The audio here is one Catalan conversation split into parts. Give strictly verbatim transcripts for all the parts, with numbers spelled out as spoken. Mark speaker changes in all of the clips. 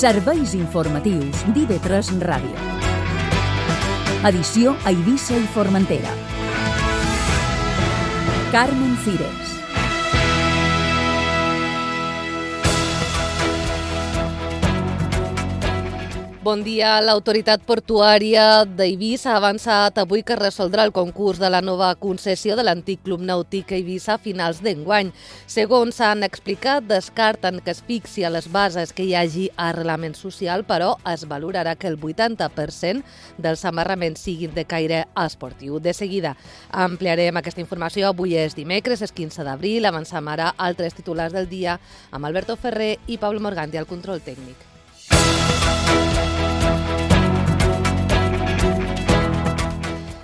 Speaker 1: Serveis informatius d'I V tres Ràdio. Edició a Eivissa i Formentera. Carmen Cires.
Speaker 2: Bon dia. L'autoritat portuària d'Eivissa ha avançat avui que resoldrà el concurs de la nova concessió de l'antic Club Nàutic Eivissa a finals d'enguany. Segons han explicat, descarten que es fixi a les bases que hi hagi arrelament social, però es valorarà que el vuitanta per cent dels amarraments siguin de caire esportiu. De seguida ampliarem aquesta informació. Avui és dimecres, és quinze d'abril. Avancem ara altres titulars del dia amb Alberto Ferrer i Pablo Morganti al control tècnic.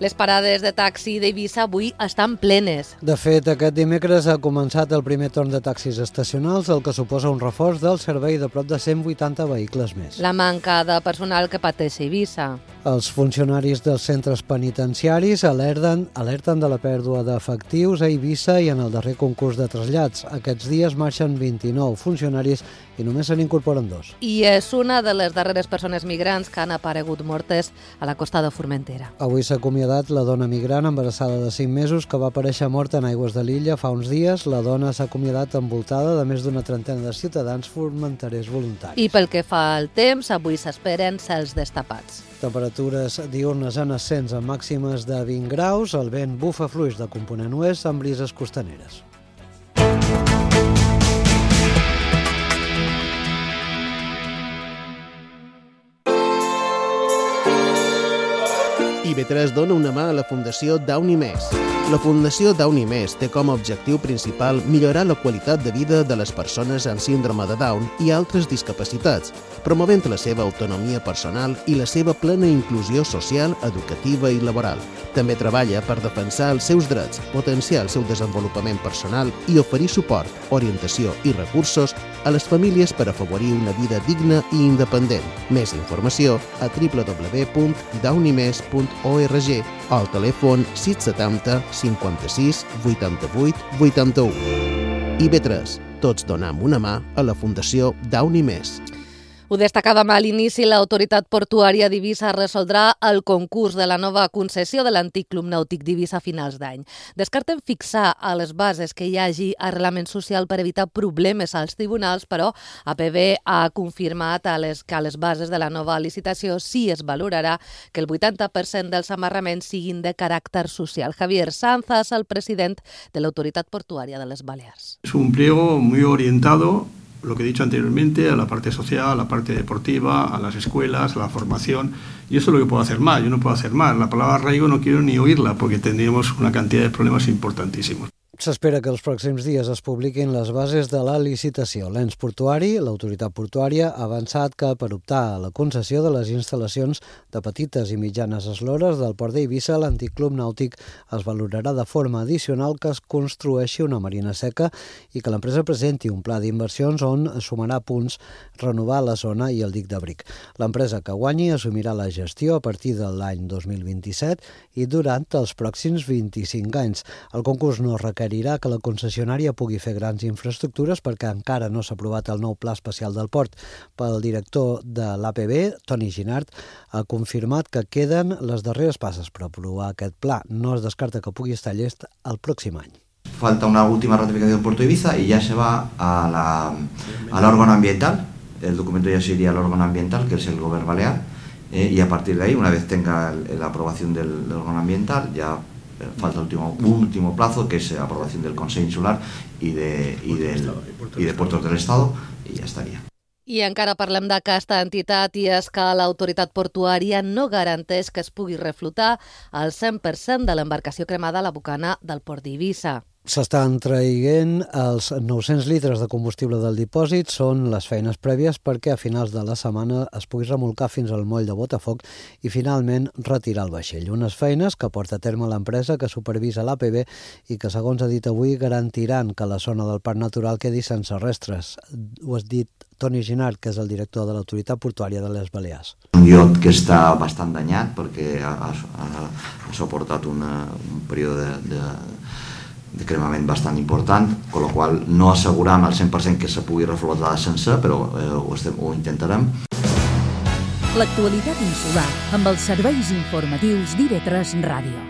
Speaker 2: Les parades de taxi d'Eivissa avui estan plenes.
Speaker 3: De fet, aquest dimecres ha començat el primer torn de taxis estacionals, el que suposa un reforç del servei de prop de cent vuitanta vehicles més.
Speaker 2: La manca de personal que pateix Eivissa.
Speaker 3: Els funcionaris dels centres penitenciaris alerten, alerten de la pèrdua d'efectius a Eivissa i en el darrer concurs de trasllats. Aquests dies marxen vint-i-nou funcionaris i només se n'incorporen dos.
Speaker 2: I és una de les darreres persones migrants que han aparegut mortes a la costa de Formentera.
Speaker 3: Avui s'ha acomiadat la dona migrant embarassada de cinc mesos que va aparèixer morta en aigües de l'illa fa uns dies. La dona s'ha acomiadat envoltada de més d'una trentena de ciutadans formenterers voluntaris.
Speaker 2: I pel que fa al temps, avui s'esperen cels destapats.
Speaker 3: Temperatures diurnes en ascens amb màximes de vint graus, el vent bufa fluix de component oest amb brises costaneres.
Speaker 4: I V tres dona una mà a la Fundació Downy Més. La Fundació Downy Més té com a objectiu principal millorar la qualitat de vida de les persones amb síndrome de Down i altres discapacitats, promovent la seva autonomia personal i la seva plena inclusió social, educativa i laboral. També treballa per defensar els seus drets, potenciar el seu desenvolupament personal i oferir suport, orientació i recursos a les famílies per afavorir una vida digna i independent. Més informació a w w w punt downy mes punt org o al telèfon sis setanta cinquanta-sis vuitanta-vuit vuitanta-u. I V tres, tots donem una mà a la Fundació Downy Més.
Speaker 2: Ho destacàvem a l'inici, l'autoritat portuària d'Eivissa resoldrà el concurs de la nova concessió de l'antic Club Nàutic d'Eivissa a finals d'any. Descarten fixar a les bases que hi hagi arrelament social per evitar problemes als tribunals, però A P B ha confirmat a les, que a les bases de la nova licitació sí es valorarà que el vuitanta per cent dels amarraments siguin de caràcter social. Javier Sanzas, el president de l'autoritat portuària de les Balears.
Speaker 5: És un pliego muy orientado, lo que he dicho anteriormente, a la parte social, a la parte deportiva, a las escuelas, a la formación, y eso es lo que puedo hacer más. Yo no puedo hacer más. La palabra arraigo no quiero ni oírla porque tendríamos una cantidad de problemas importantísimos.
Speaker 3: S'espera que els pròxims dies es publiquin les bases de la licitació. L'ens portuari, l'autoritat portuària, ha avançat que per optar a la concessió de les instal·lacions de petites i mitjanes eslores del port d'Eivissa, l'antic club nàutic es valorarà de forma addicional que es construeixi una marina seca i que l'empresa presenti un pla d'inversions on sumarà punts, renovar la zona i el dic d'abric. L'empresa que guanyi assumirà la gestió a partir de l'any dos mil vint-i-set i durant els pròxims vint-i-cinc anys. El concurs no requereix que la concessionària pugui fer grans infraestructures perquè encara no s'ha aprovat el nou pla especial del port. Pel director de l'A P B, Toni Ginart, ha confirmat que queden les darreres passes per aprovar aquest pla. No es descarta que pugui estar llest el pròxim any.
Speaker 6: Falta una última ratificación en Puerto Ibiza y ya se va a la, al órgano ambiental. El documento ya se iría al órgano ambiental, que es el Govern Balear, eh, y a partir de ahí, una vez tenga el, la aprobación del, del órgano ambiental, ya falta último, un último plazo, que es la aprobación del Consejo Insular y de, y del, y de Puertos del Estado, y ya estaría.
Speaker 2: I encara parlem d'aquesta entitat i és que l'autoritat portuària no garanteix que es pugui reflotar el cent per cent de l'embarcació cremada a la bocana del port d'Eivissa.
Speaker 3: S'estan traient els nou-cents litres de combustible del dipòsit, són les feines prèvies perquè a finals de la setmana es pugui remolcar fins al moll de Botafoc i finalment retirar el vaixell. Unes feines que porta a terme l'empresa que supervisa l'A P B i que, segons ha dit avui, garantiran que la zona del parc natural quedi sense restres. Ho has dit Toni Ginart, que és el director de l'autoritat portuària de les Balears.
Speaker 6: Un iot que està bastant danyat perquè ha, ha, ha suportat una, un període de, de de cremament bastant important, amb la qual no asseguram al cent per cent que se pugui reflotar sencer, però eh, ho, estem, ho intentarem.
Speaker 1: L'actualitat insular amb els serveis informatius d'I V tres Ràdio.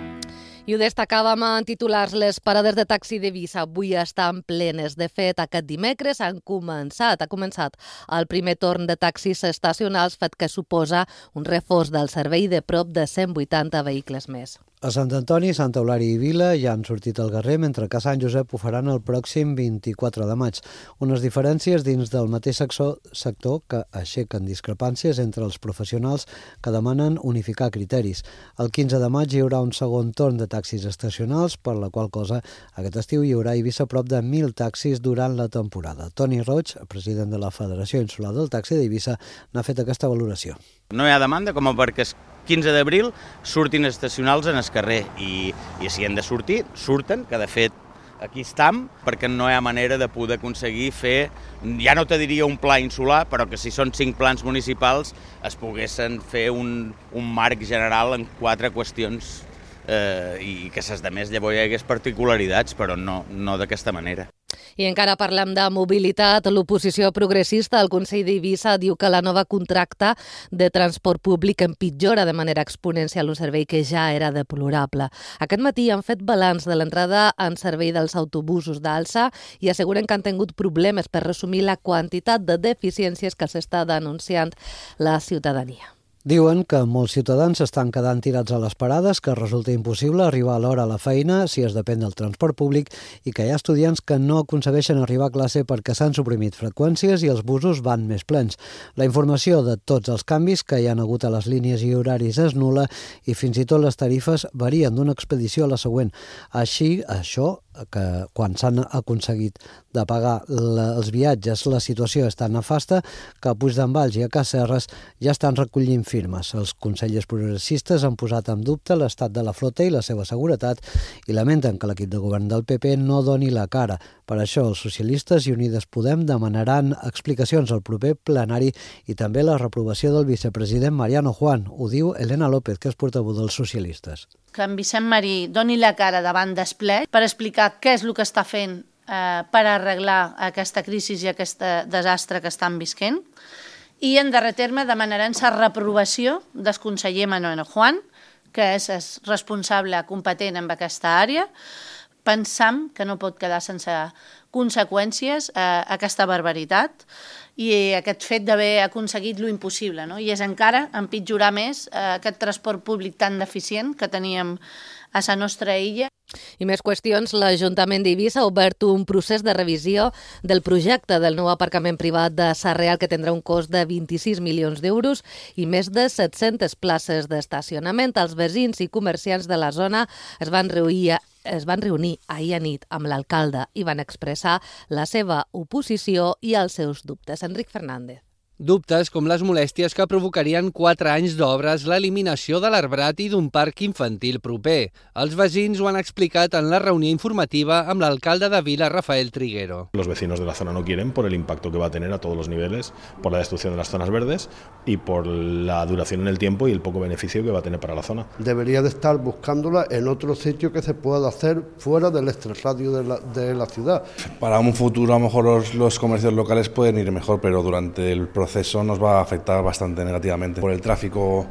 Speaker 2: I ho destacàvem en titulars, les parades de taxi d'Eivissa avui estan plenes. De fet, aquest dimecres han començat, ha començat el primer torn de taxis estacionals, fet que suposa un reforç del servei de prop de cent vuitanta vehicles més.
Speaker 3: A Sant Antoni, Santa Eulària i Vila ja han sortit al carrer, mentre que a Sant Josep ho faran el pròxim vint-i-quatre de maig. Unes diferències dins del mateix sector que aixequen discrepàncies entre els professionals que demanen unificar criteris. El quinze de maig hi haurà un segon torn de taxis estacionals, per la qual cosa aquest estiu hi haurà a Eivissa prop de mil taxis durant la temporada. Toni Roig, president de la Federació Insular del Taxi d'Eivissa, n'ha fet aquesta valoració.
Speaker 7: No hi ha demanda com perquè el quinze d'abril surtin estacionals en el carrer i, i si han de sortir, surten, que de fet aquí estem, perquè no hi ha manera de poder aconseguir fer, ja no te diria un pla insular, però que si són cinc plans municipals es poguessin fer un, un marc general en quatre qüestions eh, i que ses de més llavors hi hagués particularitats, però no, no d'aquesta manera.
Speaker 2: I encara parlem de mobilitat. L'oposició progressista al Consell d'Eivissa diu que la nova contracta de transport públic empitjora de manera exponencial un servei que ja era deplorable. Aquest matí han fet balanç de l'entrada en servei dels autobusos d'Alsa i asseguren que han tingut problemes per resumir la quantitat de deficiències que s'està denunciant la ciutadania.
Speaker 3: Diuen que molts ciutadans estan quedant tirats a les parades, que resulta impossible arribar a l'hora a la feina si es depèn del transport públic i que hi ha estudiants que no aconsegueixen arribar a classe perquè s'han suprimit freqüències i els busos van més plens. La informació de tots els canvis que hi ha hagut a les línies i horaris és nul·la i fins i tot les tarifes varien d'una expedició a la següent. Així, això que quan s'han aconseguit de pagar la, els viatges la situació és tan nefasta que a Puigdemvalls i a Casserres ja estan recollint firmes. Els consellers progressistes han posat en dubte l'estat de la flota i la seva seguretat i lamenten que l'equip de govern del P P no doni la cara. Per això els socialistes i Unides Podem demanaran explicacions al proper plenari i també la reprovació del vicepresident Mariano Juan. Ho diu Elena López, que és portaveu dels socialistes.
Speaker 8: Que en Vicent Marí doni la cara davant del ple per explicar què és el que està fent eh, per arreglar aquesta crisi i aquest desastre que estan visquent. I en darrer terme demanarem la reprovació del conseller Mariano Juan, que és el responsable competent en aquesta àrea. Pensam que no pot quedar sense conseqüències eh, aquesta barbaritat i aquest fet d'haver aconseguit lo impossible, no? I és encara empitjorar més eh, aquest transport públic tan deficient que teníem a la nostra illa.
Speaker 2: I més qüestions, l'Ajuntament d'Eivissa ha obert un procés de revisió del projecte del nou aparcament privat de Sarrià que tindrà un cost de vint-i-sis milions d'euros i més de set-centes places d'estacionament. Els veïns i comerciants de la zona es van reunir es van reunir ahir a nit amb l'alcalde i van expressar la seva oposició i els seus dubtes. Enric Fernández.
Speaker 9: Dubtes com les molèsties que provocarien quatre anys d'obres, l'eliminació de l'arbrat i d'un parc infantil proper. Els veïns ho han explicat en la reunió informativa amb l'alcalde de Vila, Rafael Triguero.
Speaker 10: Los vecinos de la zona no quieren por el impacto que va a tener a todos los niveles, por la destrucción de las zonas verdes y por la duración en el tiempo y el poco beneficio que va a tener para la zona.
Speaker 11: Debería de estar buscándola en otro sitio que se pueda hacer fuera del extrarradio de la, de la ciudad.
Speaker 12: Para un futuro a lo mejor los, los comercios locales pueden ir mejor, pero durante el proceso Eso nos va a afectar bastante negativamente por el tráfico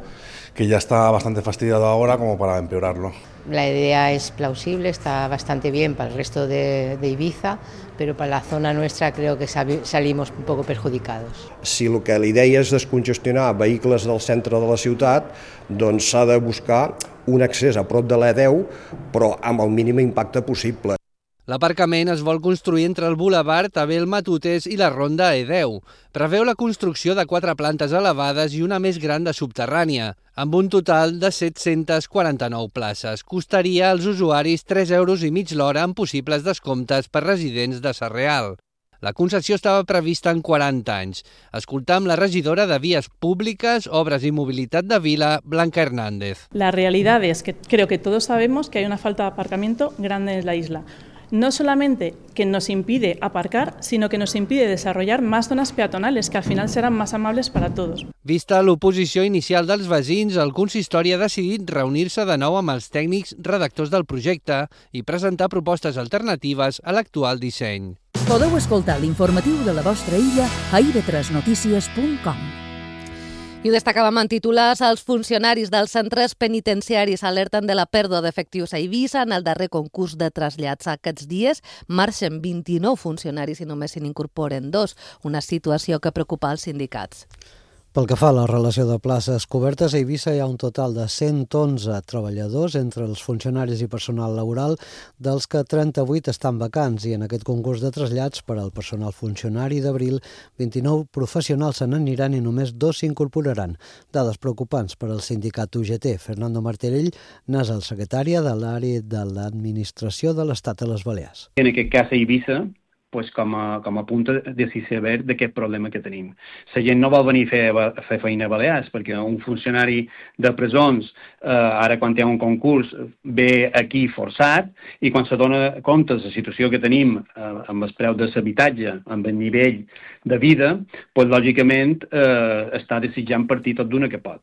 Speaker 12: que ya está bastante fastidiado ahora como para empeorarlo.
Speaker 13: La idea es plausible, está bastante bien para el resto de, de Ibiza, pero para la zona nuestra creo que salimos un poco perjudicados.
Speaker 14: Si el que la idea és descongestionar vehicles del centre de la ciutat, doncs s'ha de buscar un accés a prop de l'E deu, però amb el mínim impacte possible.
Speaker 9: L'aparcament es vol construir entre el Boulevard Abel Matutes i la Ronda E deu. Preveu la construcció de quatre plantes elevades i una més gran de subterrània, amb un total de set-centes quaranta-nou places. Costaria als usuaris tres euros i mig l'hora amb possibles descomptes per residents de Sarrià. La concessió estava prevista en quaranta anys. Escoltam la regidora de Vías Públicas, Obras y Movilidad de Vila, Blanca Hernández.
Speaker 15: La realidad es que creo que todos sabemos que hay una falta de aparcamiento grande en la isla. no solamente que nos impide aparcar, sino que nos impide desarrollar más zonas peatonales, que al final serán más amables para todos.
Speaker 9: Vista l'oposició inicial dels veïns, el consistori ha decidit reunir-se de nou amb els tècnics redactors del projecte i presentar propostes alternatives a l'actual disseny.
Speaker 1: Podeu escoltar l'informatiu de la vostra illa a i ve tres notícies punt com.
Speaker 2: I ho destacàvem en titulars, els funcionaris dels centres penitenciaris alerten de la pèrdua d'efectius a Eivissa en el darrer concurs de trasllats. Aquests dies marxen vint-i-nou funcionaris i només se n'incorporen dos, una situació que preocupa els sindicats.
Speaker 3: Pel que fa a la relació de places cobertes, a Eivissa hi ha un total de cent onze treballadors entre els funcionaris i personal laboral, dels que trenta-vuit estan vacants, i en aquest concurs de trasllats per al personal funcionari d'abril, vint-i-nou professionals se n'aniran i només dos s'incorporaran. Dades preocupants per al sindicat U G T. Fernando Martorell n'és el secretari de l'àrea de l'administració de l'Estat a les Balears.
Speaker 16: En aquest cas, a Eivissa, pues com a, com a punt de saber d'aquest problema que tenim. La gent no vol venir a fer, a fer feina a Balears, perquè un funcionari de presons, eh, ara quan hi ha un concurs, ve aquí forçat, i quan se dona compte de la situació que tenim eh, amb el preu de l'habitatge, amb el nivell de vida, pues, lògicament eh, està desitjant partir tot d'una que pot.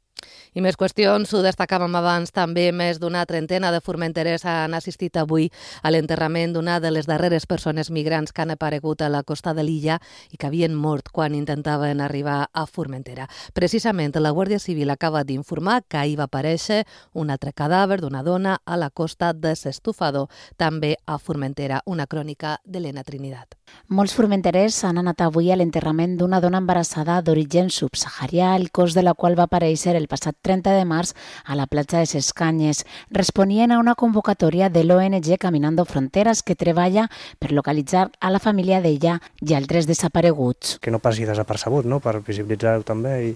Speaker 2: I més qüestions, ho destacàvem abans, també més d'una trentena de formenterers han assistit avui a l'enterrament d'una de les darreres persones migrants que han aparegut a la costa de l'illa i que havien mort quan intentaven arribar a Formentera. Precisament, la Guàrdia Civil acaba d'informar que ahir va aparèixer un altre cadàver d'una dona a la costa de s'Estufador, també a Formentera, una crònica d'Helena Trinidad.
Speaker 17: Molts formenterers han anat avui a l'enterrament d'una dona embarassada d'origen subsaharià, el cos de la qual va aparèixer el passat trenta de març a la platja de ses Canyes. Responien a una convocatòria de l'O N G Caminando Fronteras, que treballa per localitzar a la família d'ella i altres desapareguts.
Speaker 18: Que no passi desapercebut, no?, per visibilitzar-ho també i,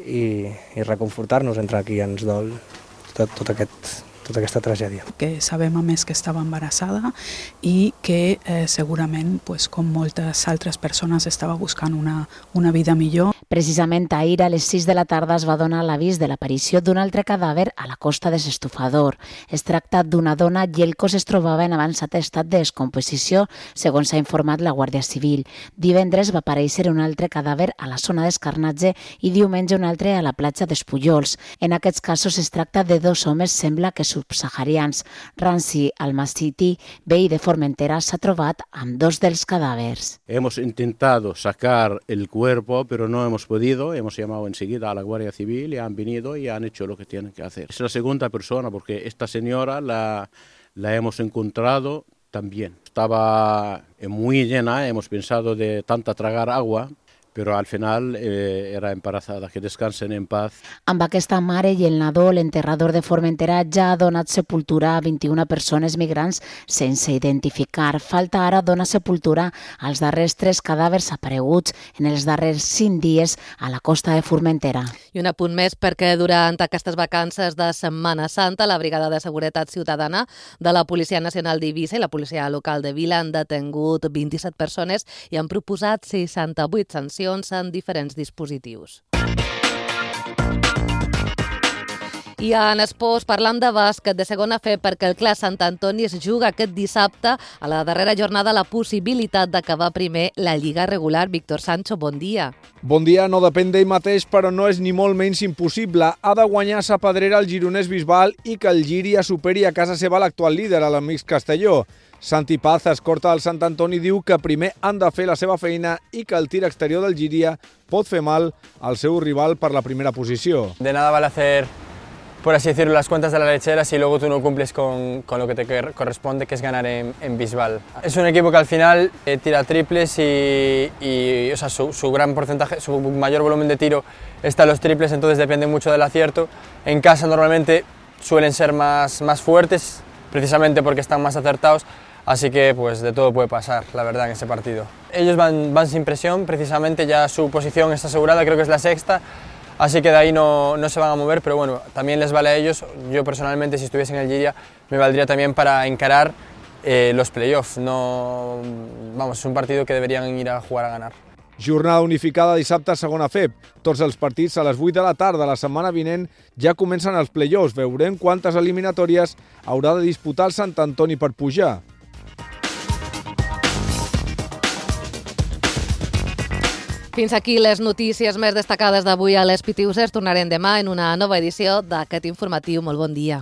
Speaker 18: i, i reconfortar-nos entre qui ens dol tot, tot aquest... tota aquesta tragèdia.
Speaker 19: Que sabem a més que estava embarassada i que eh, segurament, pues, com moltes altres persones, estava buscant una, una vida millor.
Speaker 17: Precisament ahir a les sis de la tarda es va donar l'avís de l'aparició d'un altre cadàver a la costa de s'Estufador. Es tracta d'una dona i el cos es trobava en avançat estat de descomposició, segons s'ha informat la Guàrdia Civil. Divendres va aparèixer un altre cadàver a la zona d'Escarnatge i diumenge un altre a la platja d'Espullols. En aquests casos es tracta de dos homes, sembla que subsaharians. Ransi Almasiti, veí de Formentera, s'ha trobat amb dos dels cadàvers.
Speaker 20: Hemos intentado sacar el cuerpo, pero no hemos podido. Hemos llamado enseguida a la Guardia Civil y han venido y han hecho lo que tienen que hacer. Es la segunda persona, porque esta señora la, la hemos encontrado también. Estaba muy llena, hemos pensado de tanta tragar agua, però al final eh, era embarazada. Que descansen en paz.
Speaker 17: Amb aquesta mare i el nadó, l'enterrador de Formentera ja ha donat sepultura a vint-i-una persones migrants sense identificar. Falta ara donar sepultura als darrers tres cadàvers apareguts en els darrers cinc dies a la costa de Formentera.
Speaker 2: I un apunt més, perquè durant aquestes vacances de Setmana Santa, la Brigada de Seguretat Ciutadana de la Policia Nacional d'Eivissa i la Policia Local de Vila han detengut vint-i-set persones i han proposat seixanta-vuit sancions en diferents dispositius. I en esports, parlant de bàsquet de segona fe, perquè el Clar Sant Antoni es juga aquest dissabte a la darrera jornada la possibilitat d'acabar primer la Lliga regular. Víctor Sancho, bon dia.
Speaker 21: Bon dia, no depèn d'ell mateix, però no és ni molt menys impossible. Ha de guanyar sa Pedrera el gironès Bisbal i que el Llíria superi a casa seva l'actual líder, a l'Amics Castelló. Santi Paz, escorta del Sant Antoni, diu que primer han de fer la seva feina i que el tir exterior del Llíria pot fer mal al seu rival per la primera posició.
Speaker 22: De nada vale hacer, por así decirlo, las cuentas de la lechera si luego tú no cumples con, con lo que te corresponde, que es ganar en, en Bisbal. Es un equipo que al final eh, tira triples y, y o sea, su, su gran porcentaje, su mayor volumen de tiro está en los triples, entonces depende mucho del acierto. En casa normalmente suelen ser más, más fuertes, precisamente porque están más acertados. Así que pues de todo puede pasar, la verdad, en ese partido. Ellos van, van sin presión, precisamente ya su posición está asegurada, creo que es la sexta, así que de ahí no, no se van a mover, pero bueno, también les vale a ellos. Yo personalmente, si estuviese en el Llíria, me valdría también para encarar eh, los playoffs. No, vamos, es un partido que deberían ir a jugar a ganar.
Speaker 21: Jornada unificada dissabte a segona F E P. Tots els partits a les vuit de la tarda. La setmana vinent ja comencen els play-offs. Veurem quantes eliminatòries haurà de disputar el Sant Antoni per pujar.
Speaker 2: Fins aquí les notícies més destacades d'avui a les Pitiuses. Tornarem demà en una nova edició d'aquest informatiu. Molt bon dia.